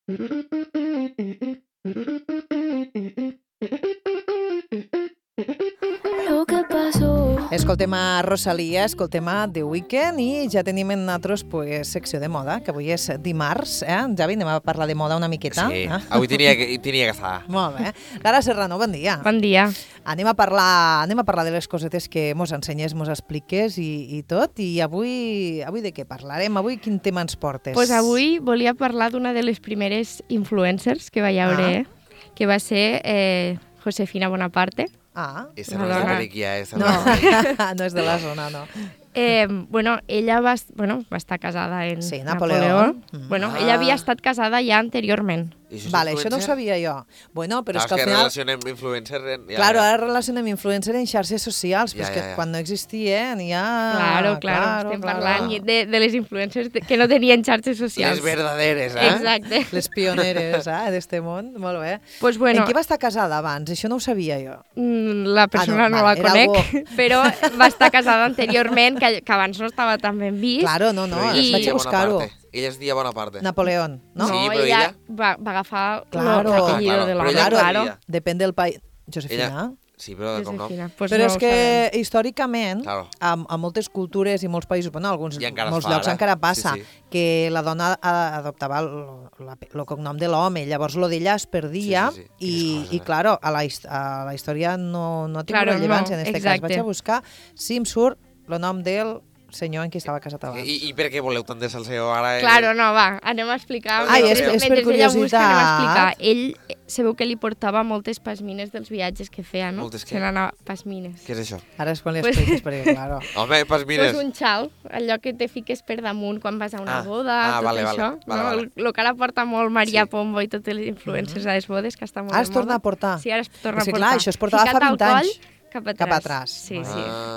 Lo que pasó. Escoltem a Rosalia, escoltem a The Weeknd i ja tenim en nosaltres secció de moda, que avui és dimarts, Javi, anem a parlar de moda una miqueta. Sí, avui tenia que estar. Molt bé. Lara Serrano, bon dia. Bon dia. Anem a parlar de les cosetes que mos ensenyes, mos expliques i tot. I avui de què parlarem? Avui quin tema ens portes? Pues avui volia parlar d'una de les primeres influencers que va haver, que va ser Josefina Bonaparte. Esta no és de Periquia, No, no és de la zona, no. Ella va estar casada en Napoleón. Ella havia estat casada ja anteriorment. Vale, això no ho sabia jo. Bueno, però és que al final... relacionem influencer... Claro, ara relacionem influencer en xarxes socials, però és que quan no existien ja... Claro, estem parlant de les influencers que no tenien xarxes socials. Les verdaderes, Exacte. Les pioneres, d'este món, molt bé. Pues bueno, en qui va estar casada abans? Això no ho sabia jo. La persona no la conec, però va estar casada anteriorment, que abans no estava tan ben vist. Claro, no, vaig a buscar-ho. Ella es deia Bonaparte. Napoleón, no? Sí, però ella va agafar l'apellido de l'home. Claro, depèn del país. Josefina? Sí, però de cognom. Però és que històricament, a moltes cultures i molts països, bueno, molts llocs encara passa, que la dona adoptava el cognom de l'home, llavors lo d'ella es perdia i claro, a la història no ha tingut rellevància en aquest cas. Vaig a buscar si em surt el nom del senyor en qui estava casat abans. I per què voleu tant de salseo ara? Claro, no, va, anem a explicar. És per curiositat. Ell sabeu que li portava moltes pasmines dels viatges que feia, no? Moltes què? Se n'anava pasmines. Què és això? Ara és quan li expliques, perquè, claro. Home, pasmines. Pues un xal, allò que te fiques per damunt quan vas a una boda, tot això. El que ara porta molt Maria Pombo i totes les influencers a les bodes, que està molt de moda. Es torna a portar? Sí, ara es torna a portar. Clar, això es portava fa 20 anys. Cap atrás. Sí.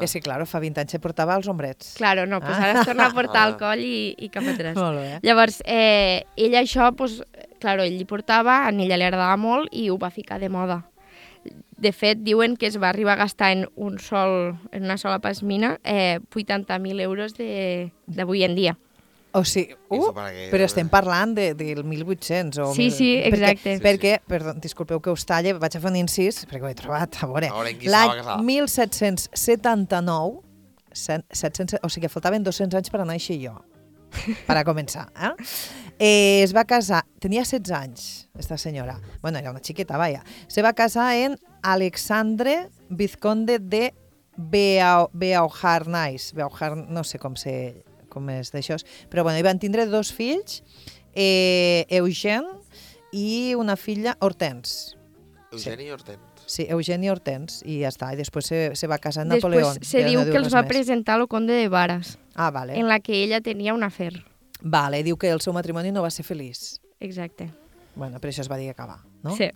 És que, claro, fa 20 anys se portava als hombrets. Claro, no, pues ara es torna a portar al coll i cap atrás. Molt bé. Llavors, ella això, pues, claro, ell li portava, a ella li agradava molt i ho va ficar de moda. De fet, diuen que es va arribar a gastar en una sola pasmina 80.000 euros d'avui en dia. O sigui, però estem parlant del 1800 o... Sí, exacte. Perquè, perdó, disculpeu que us talle, vaig a fer un incís, perquè ho he trobat, a veure. L'any 1779, o sigui que faltaven 200 anys per a néixer jo, per a començar. Es va casar, tenia 16 anys, esta senyora. Bueno, era una xiqueta, vaja. Se va casar en Alexandre Vizconde de Beauharnais. No sé com és d'això, però bueno, hi van tindre 2 fills, Eugène i una filla, Hortense. Eugeni i Hortense. Sí, Eugeni i Hortense, i ja està, i després se va casar en Napoleón. Després se diu que els va presentar el conde de Varas, vale. En la que ella tenia un afer. Vale, diu que el seu matrimoni no va ser feliç. Exacte. Bueno, per això es va dir que acabar, no? Sí.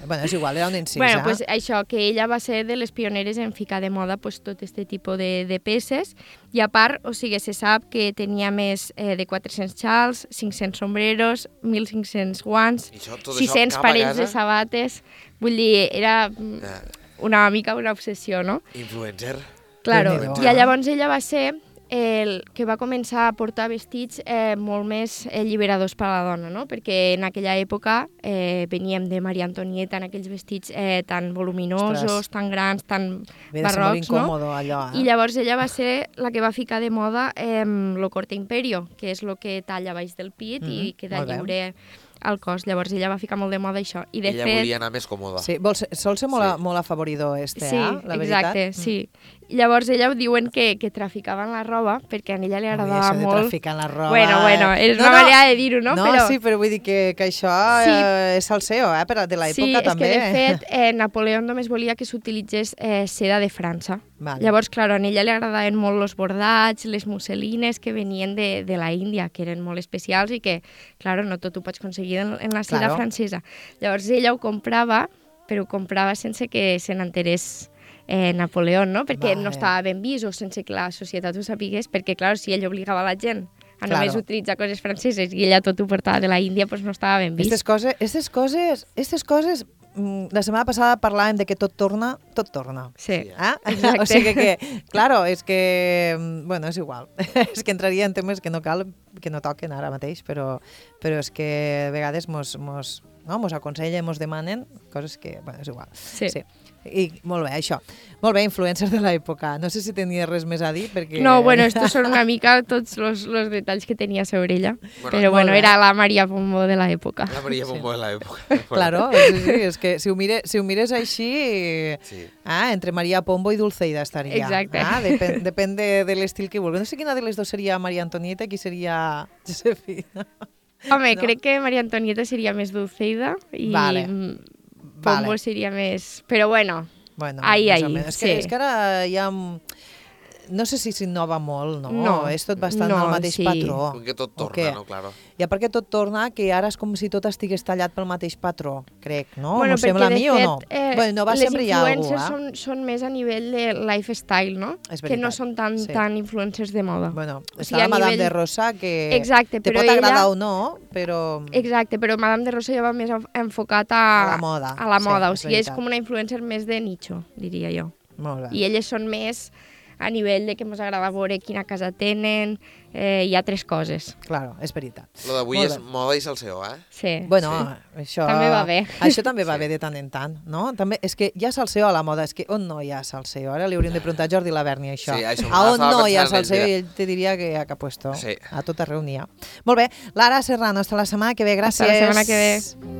Bueno, és igual, era un incís, Bueno, pues això, que ella va ser de les pioneres en ficar de moda pues, tot aquest tipus de peces, i a part, o sigui, se sap que tenia més de 400 xals, 500 sombreros, 1.500 guants, 600 parells de sabates, vull dir, era una mica una obsessió, no? Influencer. Claro, i llavors ella va ser el que va començar a portar vestits molt més alliberadors per a la dona, no? Perquè en aquella època veníem de Maria Antonieta en aquells vestits tan voluminosos, tan grans, tan barrocs, no? Allò, I llavors ella va ser la que va ficar de moda lo corte imperio, que és el que talla baix del pit i queda lliure al cos. Llavors ella va ficar molt de moda això. I de ella volia anar més còmoda. Sí, sol ser molt afavoridor la veritat. Exacte, sí. Llavors ella diuen que traficaven la roba perquè a ella li agradava molt. Això de traficar la roba... Bueno, és una manera de dir-ho, no? No, sí, però vull dir que això és salseo, de l'època també. Sí, és que de fet Napoleó només volia que s'utilitzés seda de França. Vale. Llavors, clar, a ella li agradaven molt els bordats, les musselines que venien de la Índia, que eren molt especials i que, clar, no tot ho pots aconseguir en la seda francesa. Llavors ella ho comprava, però ho comprava sense que se n'enterés Napoleó, no? Perquè no estava ben vist o sense que la societat ho sapigués, perquè, clar, si ell obligava la gent a només utilitzar coses franceses i ella tot ho portava de la Índia, doncs no estava ben vist. Aquestes coses la setmana passada parlàvem de que tot torna. Sí, O sigui que, claro, és que, bueno, és igual. És que entraria en temes que no cal, que no toquen ara mateix, però és que a vegades mos aconsellen, mos demanen coses que, bueno, és igual. Sí. I molt bé, això. Molt bé, influencers de l'època. No sé si tenia res més a dir, perquè... No, bueno, estos són una mica tots los detalls que tenia sobre ella. Però bueno, era la Maria Pombo de l'època. La Maria Pombo de l'època. Claro, sí, és que si ho mires així, entre Maria Pombo i Dulceida estaria. Exacte. Depèn de l'estil que vulgui. No sé quina de les dues seria Maria Antonieta i qui seria Josefina. Home, crec que Maria Antonieta seria més Dulceida i Pombo seria més... Però bueno, ahí. És que ara ja... No sé si s'innova molt, no? No. És tot bastant el mateix patró. Perquè tot torna, no? Claro. Ja perquè tot torna, que ara és com si tot estigués tallat pel mateix patró, crec, no? Bueno, M'ho sembla a mi o no? Bueno, va sempre hi ha algú, les influencers són més a nivell de lifestyle, no? Que no són tan influencers de moda. Bueno, està la Madame de Rosa, que exacte, te pot agradar o no, però... Exacte, però Madame de Rosa ja va més enfocat a la moda. O sigui, és com una influencer més de nicho, diria jo. Molt bé. I elles són més a nivell de que ens agrada veure quina casa tenen i altres coses. Claro, és veritat. Lo d'avui és moda i salseo, Sí. Bueno, això... També va bé. Això també va bé de tant en tant, no? També, és que hi ha salseo a la moda, és que on no hi ha salseo? Ara li hauríem de preguntar a Jordi Laverni això. Sí, això a on no hi ha salseo? I ell te diria que a cap puesto. Sí. A tot arreu n'hi ha. Molt bé. Lara Serrano, hasta la setmana que ve. Gràcies. Hasta la setmana que ve.